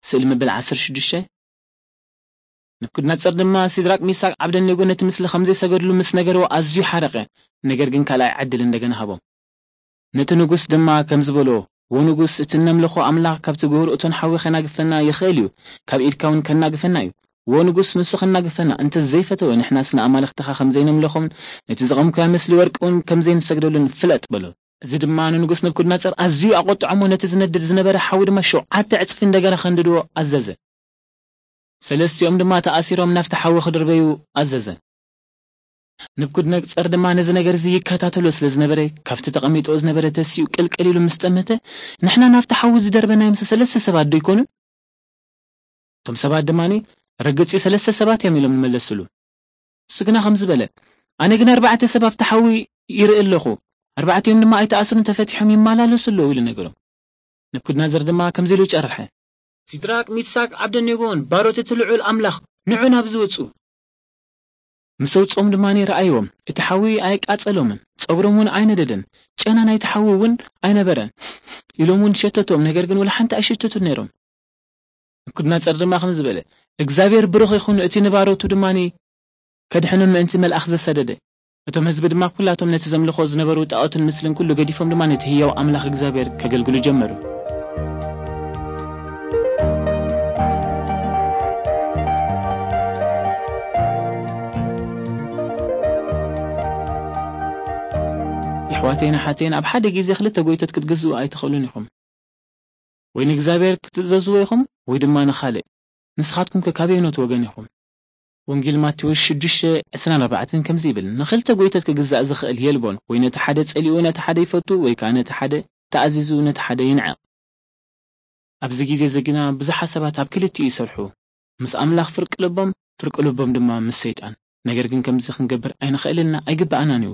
ስእሊ መበል ዓሰርተ ሽዱሽተ። ነብኩድነጸር ድማ ሲድራቅ፣ ሚሳቅ፣ ዓብደኔጎ ነቲ ምስሊ ከም ዘይሰገድሉ ምስ ነገርዎ ኣዝዩ ሓረቐ። ነገር ግን ካልኣይ ዕድል እንደገና ሃቦም። ነቲ ንጉስ ድማ ከምዚ በልዎ፣ "ዎ ንጉስ፣ እቲ እነምልኾ ኣምላኽ ካብ ትግብሩ እቶን ሓዊ ከናግፈና ይኽእል እዩ፣ ካብ ኢድካ እውን ከናግፈና እዩ። ዎ ንጉስ፣ ንሱ ከናግፈና እንተ ዘይፈተወ፣ ንሕናስ ንኣማልኽትኻ ከም ዘይነምልኾምን ነቲ ዘቐምኩያ ምስሊ ወርቂ እውን ከም ዘይንሰግደሉን ፍለጥ" በሎ። እዚ ድማ ንንጉስ ነብኩድነጸር ኣዝዩ ኣቖጥዖሞ፣ ነቲ ዝነድድ ዝነበረ ሓዊ ድማ ሸውዓተ ዕጽፊ እንደገና ከንድድዎ ኣዘዘ። ሰለስቲኦም ድማ ተኣሲሮም ናብቲ ሓዊ ክድርበዩ ኣዘዘ። ነብኩድነጸር ድማ ነዚ ነገር እዚ ይከታተሎ ስለ ዝነበረ፣ ካብቲ ተቐሚጥዎ ዝነበረ ተሲኡ ቅልቅል ኢሉ ምስ ጠመተ፣ "ንሕና ናብቲ ሓዊ ዝደርበናዮም ሰለስተ ሰባት ዶ ይኮኑን?" እቶም ሰባት ድማ፣ "ርግጽ ሰለስተ ሰባት እዮም" ኢሎም ንመለስሉ። እሱ ግና ከምዚ በለ፣ "ኣነ ግን ኣርባዕተ ሰብ ኣብቲ ሓዊ ይርኢ ኣለኹ፣ ኣርባዕቲኦም ድማ ኣይተኣስሩን፣ ተፈቲሖም ይመላለሱ ኣለዉ" ኢሉ ነገሮም። ነብኩድነጸር ድማ ከምዚ ኢሉ ጨርሐ፣ "ሲድራቅ፣ ሚሳቅ፣ ዓብደኔጎን ባሮት እቲ ልዑል ኣምላኽ፣ ንዑ ናብዚ ውጹ!" ምስ ኣውጽኦም ድማ ረኣይዎም፣ እቲ ሓዊ ኣየቃጸሎምን፣ ጸጉሮም እውን ኣይነደደን። ጨና ናይቲ ሓዊ እውን ኣይነበረን። ኢሎም እውን ሸተቶም፣ ነገር ግን ወላ ሓንቲ ኣይሸተቱን ነይሮም። ነብኩድነጸር ድማ ከምዚ በለ፣ "እግዚኣብሔር ብሩኽ ይኹን፣ እቲ ንባሮቱ ድማ ከድሕኖም ምእንቲ መልኣኽ ዘሰደደ።" እቶም ህዝቢ ድማ ኩላቶም ነቲ ዘምልኾ ዝነበሩ ጣኦትን ምስልን ኩሉ ገዲፎም ድማ ነቲ ህያው ኣምላኽ እግዚኣብሔር ከገልግሉ ጀመሩ። የሕዋተይን ኣሓተይን፣ ኣብ ሓደ ግዜ ክልተ ጎይቶት ክትግዝኡ ኣይትኽእሉን ኢኹም። ወይ ንእግዚኣብሔር ክትእዘዝዎ ኢኹም፣ ወይ ድማ ንኻልእ። ንስኻትኩም ከ ካበየኖት ወገን ኢኹም? ወንጌል ማቴዎስ ሽዱሽተ ዕስራን ኣርባዕተን ከምዚ ይብል፣ "ንኽልተ ጎይቶት ክግዛእ ዝኽእል የልቦን፣ ወይ ነቲ ሓደ ጸሊኡ ነቲ ሓደ ይፈቱ፣ ወይ ከኣ ነቲ ሓደ ተኣዚዙ ነቲ ሓደ ይንዕቕ።" ኣብዚ ግዜ እዚ ግና ብዙሓት ሰባት ኣብ ክልቲኡ ይሰርሑ፣ ምስ ኣምላኽ ፍርቂ ልቦም፣ ፍርቂ ልቦም ድማ ምስ ሰይጣን። ነገር ግን ከምዚ ክንገብር ኣይንኽእልን ኢና፣ ኣይግብኣናን እዩ።